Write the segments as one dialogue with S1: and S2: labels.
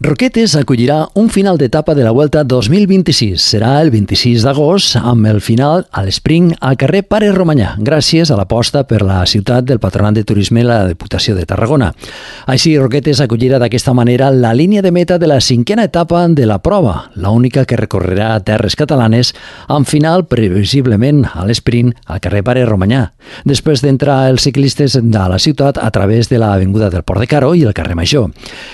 S1: Roquetes acollirà un final d'etapa de la Vuelta 2026. Serà el 26 d'agost amb el final a l'Spring al carrer Pare Romanyà, gràcies a l'aposta per la ciutat del Patronat de Turisme i la Diputació de Tarragona. Així, Roquetes acollirà d'aquesta manera la línia de meta de la 5a etapa de la prova, l'única que recorrerà terres catalanes, amb final previsiblement a l'Sprint al carrer Pare Romanyà, després d'entrar els ciclistes a la ciutat a través de l'avinguda del Port de Caro i el carrer Major.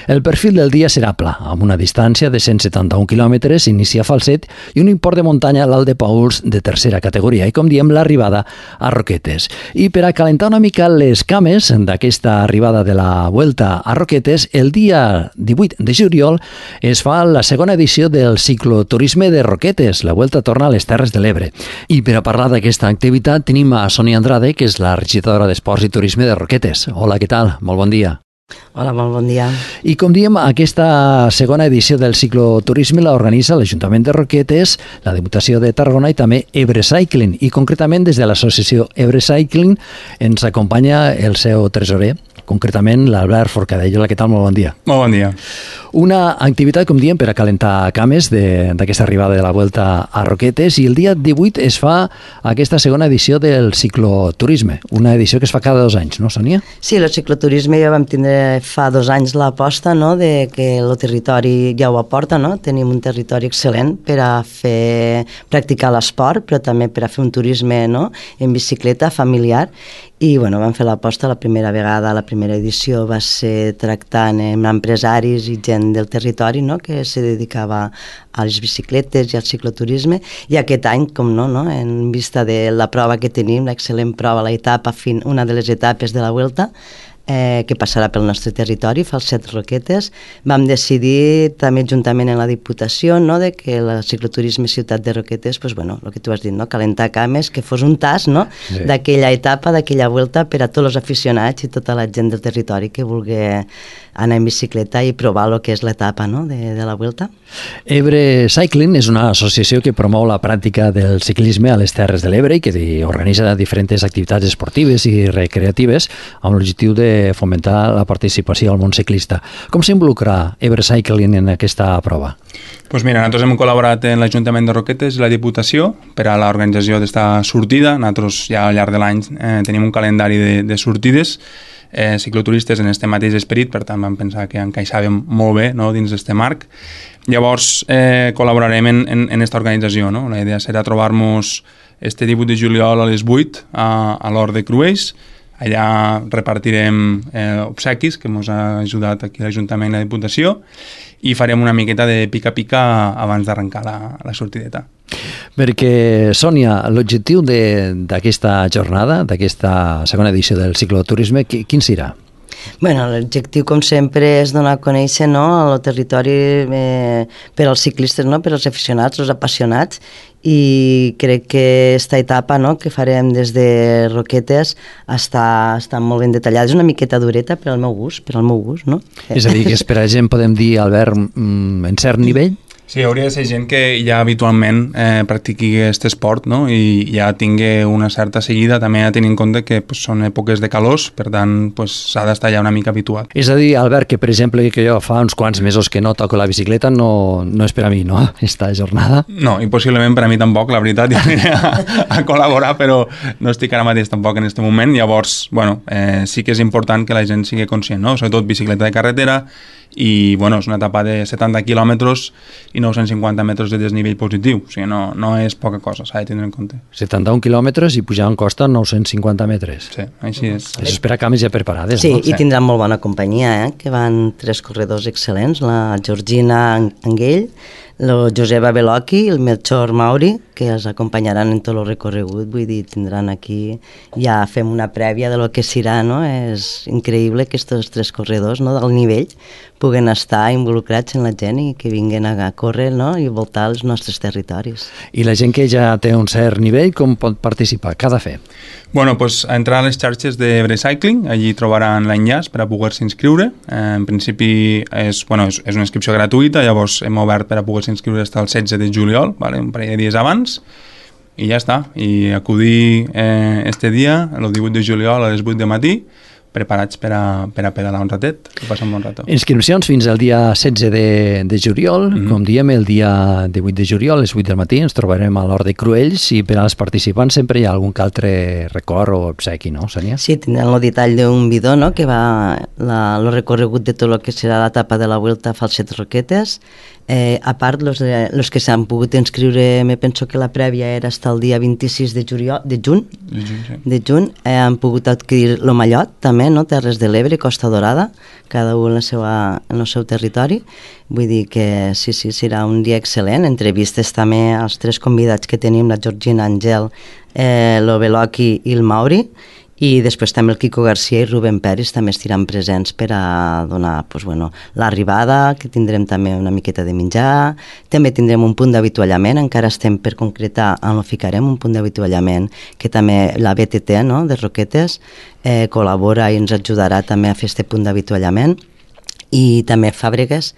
S1: El perfil del dia serà pla, amb una distància de 171 quilòmetres, inicia Falset i un import de muntanya a l'Alt de Pauls de tercera categoria i, com diem, l'arribada a Roquetes. I per a calentar una mica les cames d'aquesta arribada de la Vuelta a Roquetes, el dia 18 de juliol es fa la segona edició del cicloturisme de Roquetes. La Vuelta torna a les Terres de l'Ebre. I per a parlar d'aquesta activitat tenim a Sònia Andrade, que és la regidora d'Esports i Turisme de Roquetes. Hola, què tal? Molt bon dia.
S2: Hola, molt bon dia.
S1: I com diem, aquesta segona edició del cicloturisme l'organitza l'Ajuntament de Roquetes, la Diputació de Tarragona i també Ebre Cycling. I concretament des de l'associació Ebre Cycling ens acompanya el seu tresorer, concretament l'Albert Forcadell. Hola, què tal? Molt bon dia.
S3: Molt bon dia.
S1: Una activitat, com diem, per a calentar cames d'aquesta arribada de la Vuelta a Roquetes, i el dia 18 es fa aquesta segona edició del cicloturisme, una edició que es fa cada 2 anys, no, Sònia?
S2: Sí, el cicloturisme ja vam tindre fa 2 anys l'aposta, no?, de que el territori ja ho aporta, no? Tenim un territori excel·lent per a practicar l'esport, però també per a fer un turisme, no?, en bicicleta familiar. I bueno, vam fer l'aposta la primera vegada. La primera edició va ser tractant amb empresaris i gent del territori, no?, que se dedicava a les bicicletes i al cicloturisme, i aquest any, com no, en vista de la prova que tenim, l'excel·lent prova, una de les etapes de la Vuelta, que passarà pel nostre territori, Falset Roquetes, vam decidir també juntament amb la Diputació, no?, de que el cicloturisme Ciutat de Roquetes, pues, bueno, el que tu has dit, no?, calentar cames, que fos un tas, no?, sí, d'aquella etapa, d'aquella Vuelta per a tots els aficionats i tota la gent del territori que vulgui anar en bicicleta i provar el que és l'etapa, no?, de la Vuelta.
S1: Ebre Cycling és una associació que promou la pràctica del ciclisme a les Terres de l'Ebre i que organitza diferents activitats esportives i recreatives amb l'objectiu de fomentar la participació al món ciclista. Com s'involucra Ebre Cycling en aquesta prova?
S3: Pues mira, nosaltres hem col·laborat en l'Ajuntament de Roquetes i la Diputació per a l'organització d'esta sortida. Nosaltres ja al llarg de l'any tenim un calendari de sortides cicloturistes en este mateix esperit, per tant vam pensar que encaixàvem molt bé, no?, dins d'este marc. Llavors col·laborarem en esta organització, no? La idea serà trobar-nos este 18 de juliol a les 8 a l'Hort de Cruells. Allà repartirem obsequis que ens ha ajudat aquí l'Ajuntament i la Diputació, i farem una miqueta de pica-pica abans d'arrencar la sortideta.
S1: Perquè, Sònia, l'objectiu d'aquesta jornada, d'aquesta segona edició del cicloturisme, quin serà?
S2: Bueno, l'objectiu, com sempre, és donar a conèixer, no?, el territori per als ciclistes, no?, per als aficionats, els apassionats, i crec que aquesta etapa, no?, que farem des de Roquetes està molt ben detallada. És una miqueta dureta per al meu gust, no?
S1: És a dir, que per a gent podem dir, Albert, en cert nivell?
S3: Sí, hauria de ser gent que ja habitualment practiqui aquest esport, no?, i ja tingui una certa seguida, també a tenir en compte que són èpoques de calors, per tant s'ha d'estar ja una mica habituat.
S1: És a dir, Albert, que per exemple que jo fa uns quants mesos que no toco la bicicleta, no és per a mi, no?, esta jornada?
S3: No, i possiblement per a mi tampoc, la veritat, ja aniré a col·laborar, però no estic ara mateix tampoc en aquest moment. Llavors, bueno, sí que és important que la gent sigui conscient, no?, sobretot bicicleta de carretera, i bueno, és una etapa de 70 quilòmetres i 950 metres de desnivell positiu, o sigui, no és poca cosa, s'ha de tindre en compte.
S1: 71 quilòmetres i pujar en costa 950 metres.
S3: Sí, així és.
S1: Això és per a cames ja preparades,
S2: sí,
S1: no?
S2: Sí, i tindran molt bona companyia, que van 3 corredors excel·lents, la Georgina Anguell, el Joseba Belocchi i el Melchor Mauri, que els acompanyaran en tot el recorregut. Vull dir, tindran aquí, ja fem una prèvia de lo que serà, no? És increïble que aquests 3 corredors, no?, del nivell puguen estar involucrats en la gent i que vinguin a córrer, no?, i voltar els nostres territoris.
S1: I la gent que ja té un cert nivell, com pot participar? Què ha de fer?
S3: Bueno, pues entrar a les xarxes d'Ebre Cycling, allí trobaran l'enllaç per a poder-se inscriure. En principi és una inscripció gratuïta, llavors hem obert per a poder-se inscriure fins al 16 de juliol, vale? Un parell de dies abans, i ja està. I acudir este dia, el 18 de juliol a les 8 de matí, preparats per a pedalar un ratet i passar un bon rato.
S1: Inscripcions fins al dia 16 de juliol. Com diem, el dia 18 de juliol, a les 8 del matí, ens trobarem a l'Hort de Cruells i per als participants sempre hi ha algun altre record o obsequi, no, Sònia?
S2: Sí, tindran el detall d'un bidó, no?, que va el recorregut de tot el que serà l'etapa de la Vuelta a Falset Roquetes. A part, los que s'han pogut inscriure, me penso que la prèvia era fins al dia 26 de juny, han pogut adquirir el mallot també, no?, Terres de l'Ebre, Costa Dorada, cada un en el seu territori. Vull dir que sí, serà un dia excel·lent. Entrevistes també als 3 convidats que tenim, la Georgina Angel, l'Oveloki i el Mauri, i després també el Quico Garcia i Rubén Peris també estiran presents per a donar l'arribada, que tindrem també una miqueta de menjar, també tindrem un punt d'avituallament, encara estem per concretar on ho ficarem, un punt d'avituallament que també la BTT, no?, de Roquetes col·labora i ens ajudarà també a fer aquest punt d'avituallament. I també Fàbregues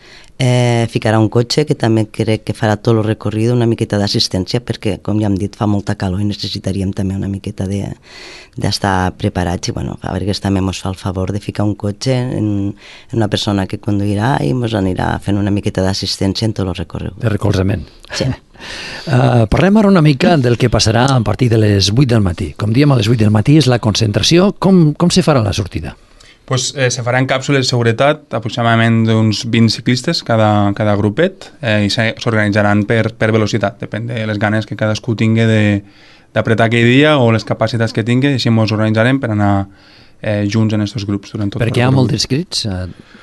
S2: ficarà un cotxe que també crec que farà tot el recorrido, una miqueta d'assistència, perquè, com ja hem dit, fa molta calor i necessitaríem també una miqueta d'estar preparats. I Fàbregues també ens fa el favor de ficar un cotxe en una persona que conduirà i ens anirà fent una miqueta d'assistència en tot el recorregut.
S1: De recolzament.
S2: Sí.
S1: Parlem ara una mica del que passarà a partir de les 8 del matí. Com diem, a les 8 del matí és la concentració. Com se farà la sortida?
S3: Pues, se faran càpsules de seguretat, aproximadament d'uns 20 ciclistes cada grupet, i s'organitzaran per velocitat, depèn de les ganes que cadascú tingui d'apretar aquell dia o les capacitats que tingui, i així ens organitzarem per anar junts en aquests grups durant tot el
S1: Perquè hi ha molts inscrits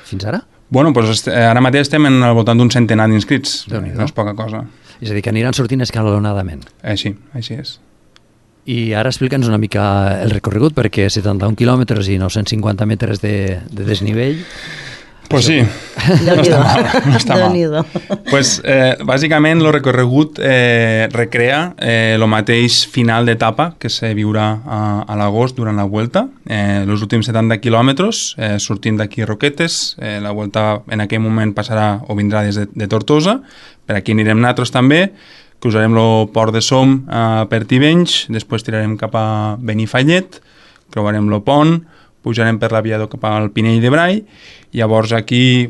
S1: fins ara?
S3: Bueno, pues, ara mateix estem al voltant d'un centenar d'inscrits, no és poca cosa.
S1: És a dir, que aniran sortint escalonadament.
S3: Sí, així és.
S1: I ara explica'ns una mica el recorregut, perquè 71 quilòmetres i 950 metres de desnivell...
S3: Pues sí, no està mal. Pues, bàsicament, el recorregut recrea el mateix final d'etapa que se viurà a l'agost durant la Vuelta. Els últims 70 quilòmetres, sortint d'aquí Roquetes, la Vuelta en aquell moment passarà o vindrà des de Tortosa, per aquí anirem nosaltres també, cruzarem el port de Som per Tivenys, després tirarem cap a Benifallet, creuarem el pont, pujarem per l'aviador cap al Pinell de Brai, i llavors aquí,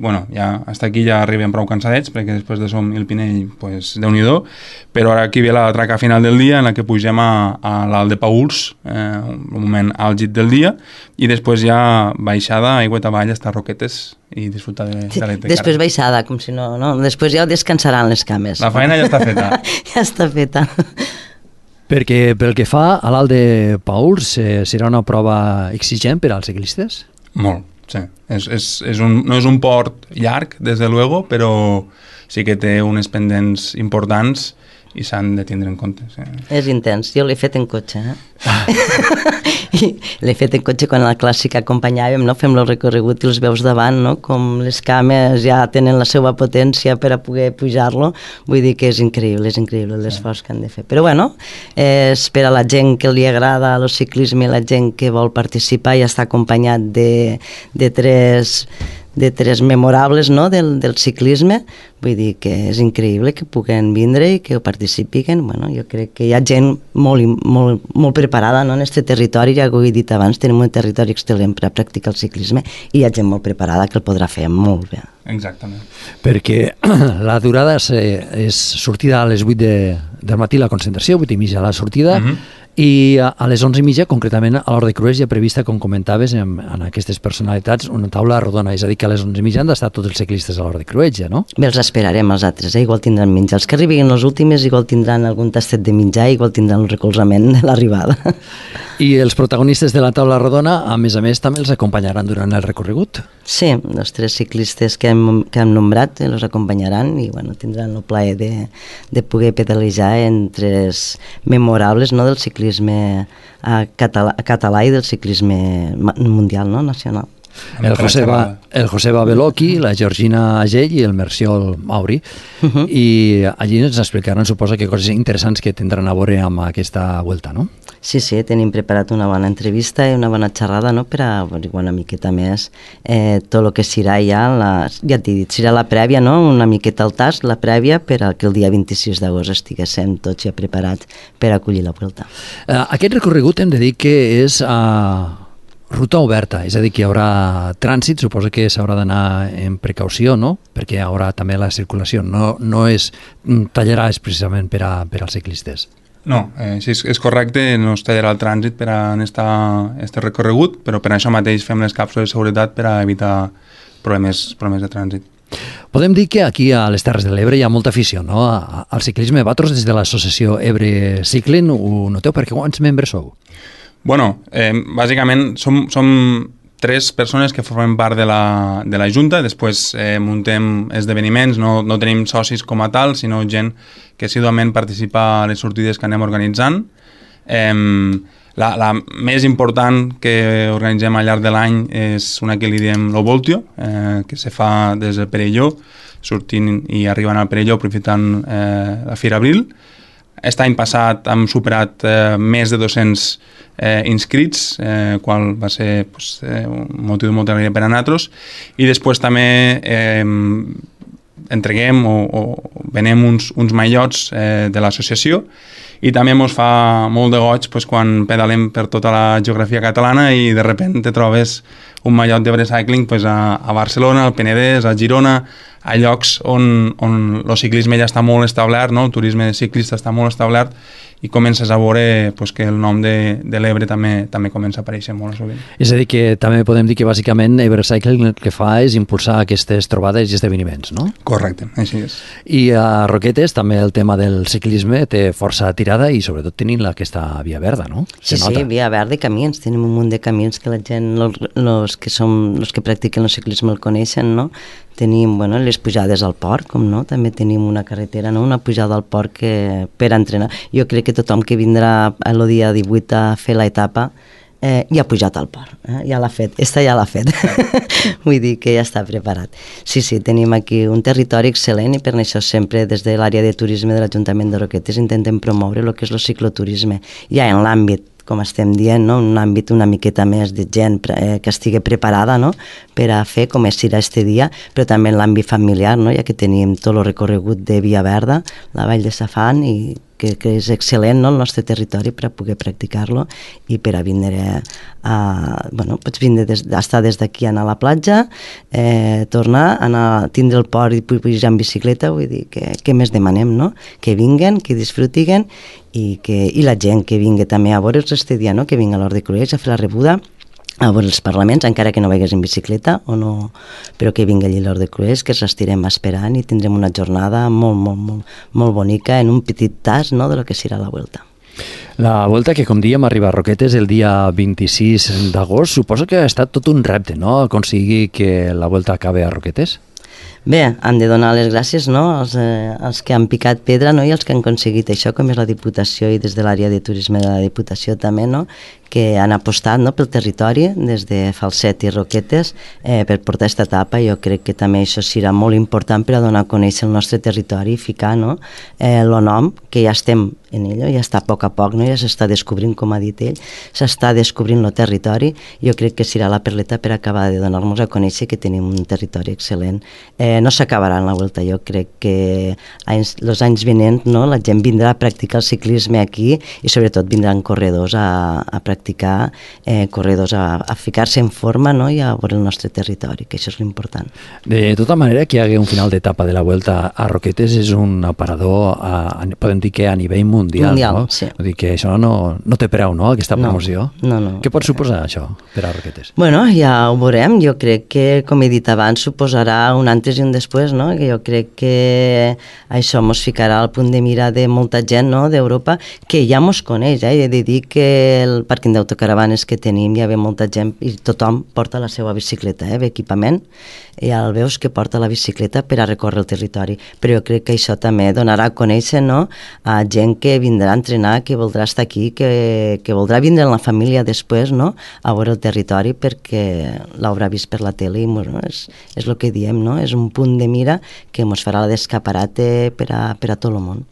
S3: hasta aquí ja arribem prou cansadets, perquè després de Som i el Pinell, pues, Déu-n'hi-do, però ara aquí ve la traca final del dia, en la que pugem a l'Alt de Pauls, un moment àlgid del dia, i després ja baixada, aigua avall, hasta Roquetes, i disfrutar de l'Etecàrrec.
S2: Després baixada, com si no... Després ja descansaran les cames.
S3: La feina ja està feta.
S2: Ja està feta.
S1: Perquè pel que fa a l'Alt de Pauls, serà una prova exigent per als ciclistes?
S3: Molt, sí. No és un port llarg, des de luego, però sí que té unes pendents importants i s'han de tindre en compte. Sí.
S2: És intens. Jo l'he fet en cotxe. L'he fet en cotxe quan a la clàssica acompanyàvem, no? Fem el recorregut i els veus davant, no? Com les cames ja tenen la seva potència per a poder pujar-lo. Vull dir que és increïble l'esforç que han de fer. Però és per a la gent que li agrada el ciclisme, la gent que vol participar i està acompanyat de tres memorables, no?, del ciclisme. Vull dir que és increïble que puguen vindre i que ho participin. Jo crec que hi ha gent molt preparada, no?, en aquest territori. Ja ho he dit abans, tenim un territori excel·lent per a practicar el ciclisme i hi ha gent molt preparada que el podrà fer molt bé.
S3: Exactament.
S1: Perquè la durada és sortida a les 8 del matí la concentració, 8:30 la sortida, i a les 11:30, concretament a l'Hort de Cruells, hi ha prevista, com comentaves, en aquestes personalitats, una taula rodona. És a dir, que a les 11:30 han d'estar tots els ciclistes a l'Hort de Cruells, ja, no?
S2: Bé, els esperarem els altres, igual tindran menjar. Els que arribin les últimes igual tindran algun tastet de menjar, igual tindran el recolzament de l'arribada.
S1: I els protagonistes de la taula rodona, a més, també els acompanyaran durant el recorregut?
S2: Sí, els 3 ciclistes que hem nombrat els acompanyaran i tindran el plaer de poder pedalejar entre els memorables, no?, del ciclisme català i del ciclisme mundial, no?, nacional.
S1: El Joseba Beloki, la Georgina Agell i el Merciol Mauri. I allí ens explicaran, suposa, que coses interessants que tindran a veure amb aquesta Vuelta, no?
S2: Sí, tenim preparat una bona entrevista i una bona xerrada, no?, per a una miqueta més tot el que serà ja t'he dit, serà la prèvia, no?, una miqueta al tast, la prèvia, per a que el dia 26 d'agost estiguéssim tots ja preparats per acollir la Vuelta.
S1: Aquest recorregut hem de dir que és ruta oberta, és a dir, que hi haurà trànsit, suposo que s'haurà d'anar en precaució, no? Perquè hi haurà també la circulació, no tallarà precisament per als ciclistes.
S3: No, sí, és correcte, no es tallarà el trànsit per a este recorregut, però per això mateix fem les càpsules de seguretat per a evitar problemes de trànsit.
S1: Podem dir que aquí a les Terres de l'Ebre hi ha molta afició, no?, al ciclisme. Vosaltres des de l'associació Ebre Cycling ho noteu, perquè quants membres sou?
S3: Bueno, bàsicament som 3 persones que formem part de la Junta, després muntem esdeveniments, no tenim socis com a tal, sinó gent que assiduament participa a les sortides que anem organitzant. La més important que organitzem al llarg de l'any és una que li diem lo Voltio, que se fa des del Perelló, sortint i arribant al Perelló aprofitant la Fira Abril. Aquest any passat hem superat més de 200 inscrits, qual va ser un motiu de molta alegria per a nosaltres, i després també entreguem o venem uns maillots de l'associació, i també ens fa molt de goig quan pedalem per tota la geografia catalana i de sobte te trobes un mallot d'Ebre Cycling a Barcelona, al Penedès, a Girona, a llocs on el ciclisme ja està molt establert, no? El turisme ciclista està molt establert, i comences a veure que el nom de l'Ebre també comença a aparèixer molt sovint.
S1: És a dir, que també podem dir que bàsicament Ebre Cycling el que fa és impulsar aquestes trobades i esdeveniments, no?
S3: Correcte, així és.
S1: I a Roquetes també el tema del ciclisme té força tirada i sobretot tenint aquesta via verda, no?
S2: Sí, via verda i camins. Tenim un munt de camins que la gent, els que practiquen el ciclisme el coneixen, no? Tenim les pujades al port, com no? També tenim una carretera, no? Una pujada al port per entrenar. Jo crec que tothom que vindrà el dia 18 a fer l'etapa ja ha pujat al port, ja l'ha fet, ja l'ha fet. Vull dir que ja està preparat. Sí, tenim aquí un territori excel·lent i per això sempre des de l'àrea de turisme de l'Ajuntament de Roquetes intentem promoure el que és el cicloturisme. Ja en l'àmbit, com estem dient, no? Un àmbit una miqueta més de gent que estigui preparada, no? Per a fer com serà este dia, però també en l'àmbit familiar, no? Ja que tenim tot el recorregut de Via Verda, la Vall de Safant, i que és excel·lent, no? El nostre territori per a poder practicar-lo i per a vindre pots vindre estar des d'aquí, anar a la platja, tornar, anar, tindre el port i pujar en bicicleta. Vull dir que què més demanem, no? Que vinguen, que disfrutiguen i la gent que vingui també a veure'ls este dia, no? Que vingui a l'Hort de Cruïlles a fer la rebuda, a veure els parlaments, encara que no vegis en bicicleta o no, però que vingui allí l'Hort de Cruïlles, que els estirem esperant i tindrem una jornada molt bonica en un petit tas, no?, de lo que serà la Vuelta.
S1: La Vuelta, que com dèiem arriba a Roquetes el dia 26 d'agost, suposo que ha estat tot un repte, no?, aconseguir que la Vuelta acabi a Roquetes?
S2: Bé, han de donar les gràcies, no?, als que han picat pedra, no?, i els que han aconseguit això, com és la Diputació i des de l'àrea de turisme de la Diputació també, no?, que han apostat, no?, pel territori des de Falset i Roquetes per portar aquesta etapa. Jo crec que també això serà molt important per a donar a conèixer el nostre territori i ficar, no?, el nom, que ja estem en ell, ja està a poc, no?, ja s'està descobrint, com ha dit ell, s'està descobrint el territori. Jo crec que serà la perleta per acabar de donar-nos a conèixer que tenim un territori excel·lent. No s'acabarà en la Vuelta, jo crec que els anys vinents, no?, la gent vindrà a practicar el ciclisme aquí i sobretot vindran corredors a practicar, corredors a ficar-se en forma, no?, i a veure el nostre territori, que això és l'important.
S1: De tota manera, que hi hagi un final d'etapa de la Vuelta a Roquetes és un aparador, podem dir que a nivell mundial, no?
S2: Sí.
S1: Vull dir que això no té preu, no?, aquesta promoció.
S2: No.
S1: Què pot suposar això per a Roquetes?
S2: Bueno, ja ho veurem. Jo crec que, com he dit abans, suposarà un antes i un després, no? Que jo crec que això mos ficarà al punt de mira de molta gent, no?, d'Europa, que ja mos coneix. He de dir que el pàrquing d'autocaravanes que tenim ja ve molta gent i tothom porta la seva bicicleta, equipament, i ja el veus que porta la bicicleta per a recórrer el territori. Però jo crec que això també donarà a conèixer, no?, a gent que vindrà a entrenar, que voldrà estar aquí, que voldrà vindre amb la família després, no?, a veure el territori perquè l'haurà vist per la tele i és el que diem, no?, és un punt de mira que ens farà d'escaparate per a tot el món.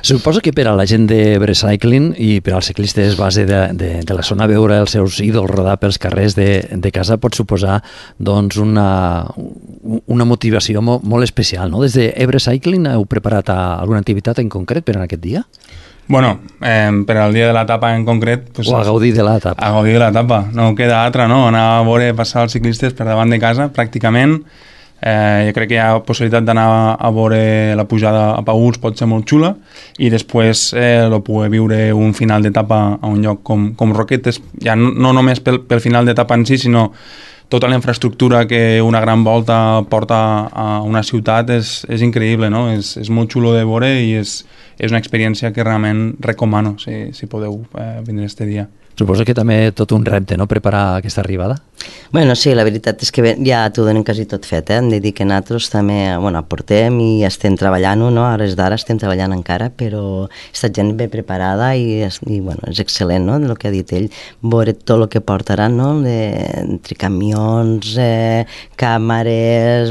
S1: Suposo que per a la gent d'Ebre Cycling i per als ciclistes base de la zona veure els seus ídols rodar pels carrers de casa pot suposar doncs una motivació molt especial, no? Des d'Ebre Cycling heu preparat alguna activitat en concret per a aquest dia?
S3: Bueno, per al dia de l'etapa en concret... Pues,
S1: o a gaudir de l'etapa.
S3: A gaudir de l'etapa. No queda altra, no? Anar a veure passar els ciclistes per davant de casa, pràcticament. Jo crec que hi ha possibilitat d'anar a veure la pujada a Paüls, pot ser molt xula, i després poder viure un final d'etapa a un lloc com Roquetes, ja no només pel final d'etapa en si, sinó tota la infraestructura que una gran volta porta a una ciutat és increïble, no? És molt xulo de veure i és una experiència que realment recomano si podeu vindre este dia.
S1: Suposo que també tot un repte, no?, preparar aquesta arribada?
S2: Bueno, sí, la veritat és que ja t'ho donen quasi tot fet, Hem de dir que nosaltres també, aportem i estem treballant-ho, no? A hores d'ara estem treballant encara, però aquesta gent ben preparada i és excel·lent, no?, del que ha dit ell, veure tot el que portaran, no?, entre camions, càmeres,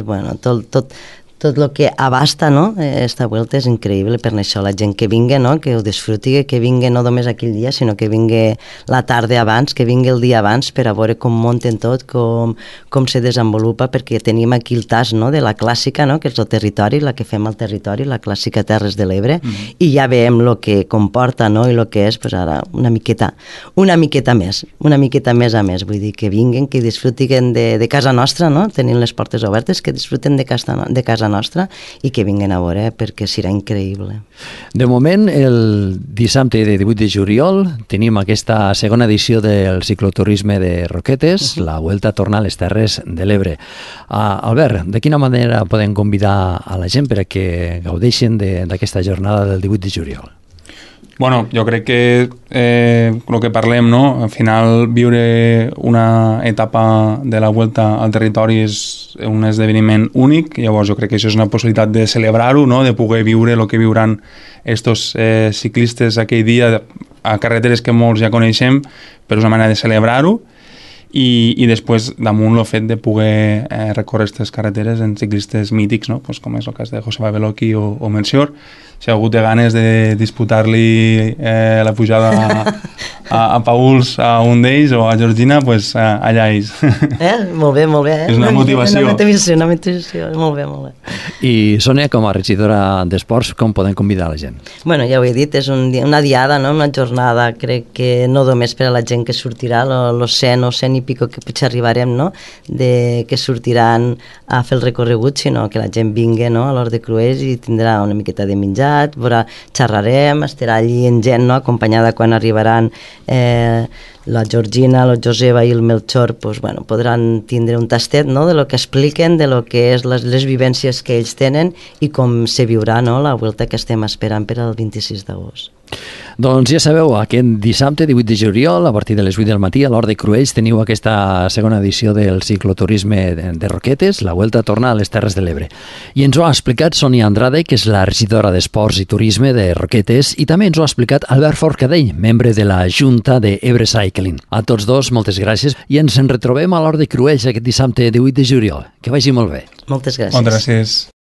S2: tot el que abasta, no? Esta volta és increïble, per això la gent que vingui, no? Que ho disfruti, que vingui no només aquell dia, sinó que vingui la tarda abans, que vingui el dia abans per a veure com munten tot, com se desenvolupa, perquè tenim aquí el tas, no? De la clàssica, no? Que és el territori, la que fem al territori, la clàssica Terres de l'Ebre, i ja veiem el que comporta, no? I el que és, pues ara, una miqueta més a més, vull dir, que vinguin, que disfrutin de casa nostra, no? Tenim les portes obertes, que disfruten de casa nostra i que vinguin a veure perquè serà increïble.
S1: De moment, el dissabte de 18 de juliol tenim aquesta segona edició del cicloturisme de Roquetes, la Vuelta a tornar a les Terres de l'Ebre. Albert, de quina manera podem convidar a la gent per a que gaudeixin d'aquesta jornada del 18 de juliol?
S3: Bueno, jo crec que el que parlem, no? Al final viure una etapa de la Vuelta al territori és un esdeveniment únic, llavors jo crec que això és una possibilitat de celebrar-ho, no? De poder viure el que viuran estos ciclistes aquell dia a carreteres que molts ja coneixem, però és una manera de celebrar-ho, i després damunt el fet de poder recórrer aquestes carreteres en ciclistes mítics, no? Pues com és el cas de Joseba Beloki o Melchior. Si algú té ganes de disputar-li la pujada a Paüls a un d'ells o a Georgina, pues allà ells.
S2: Molt bé, molt bé.
S3: És una motivació.
S2: Una motivació, molt bé.
S1: I Sònia, com a regidora d'Esports, com podem convidar la gent?
S2: Bueno, ja ho he dit, és una diada, no? Una jornada, crec que no només per a la gent que sortirà, los 100 o 100 i pico que potser arribarem, no? Que sortiran a fer el recorregut, sinó que la gent vingui, no? A l'Hort de Cruells i tindrà una miqueta de menjar, xerrarem, estarà allí en gent, no? Acompanyada quan arribaran la Georgina, la Joseba i el Melchor, pues, podran tindre un tastet, no? De lo que expliquen, de lo que és les vivències que ells tenen i com se viurà, no? La volta que estem esperant per al 26 d'agost.
S1: Doncs ja sabeu, aquest dissabte 18 de juliol, a partir de les 8 del matí, a l'Hort de Cruells teniu aquesta segona edició del cicloturisme de Roquetes, la Vuelta a tornar a les Terres de l'Ebre. I ens ho ha explicat Sònia Andrade, que és la regidora d'Esports i Turisme de Roquetes, i també ens ho ha explicat Albert Forcadell, membre de la Junta de Ebre Cycling. A tots dos, moltes gràcies, i ens en retrobem a l'Hort de Cruells aquest dissabte 18 de juliol. Que vagi molt bé.
S2: Moltes gràcies.
S3: Moltes gràcies.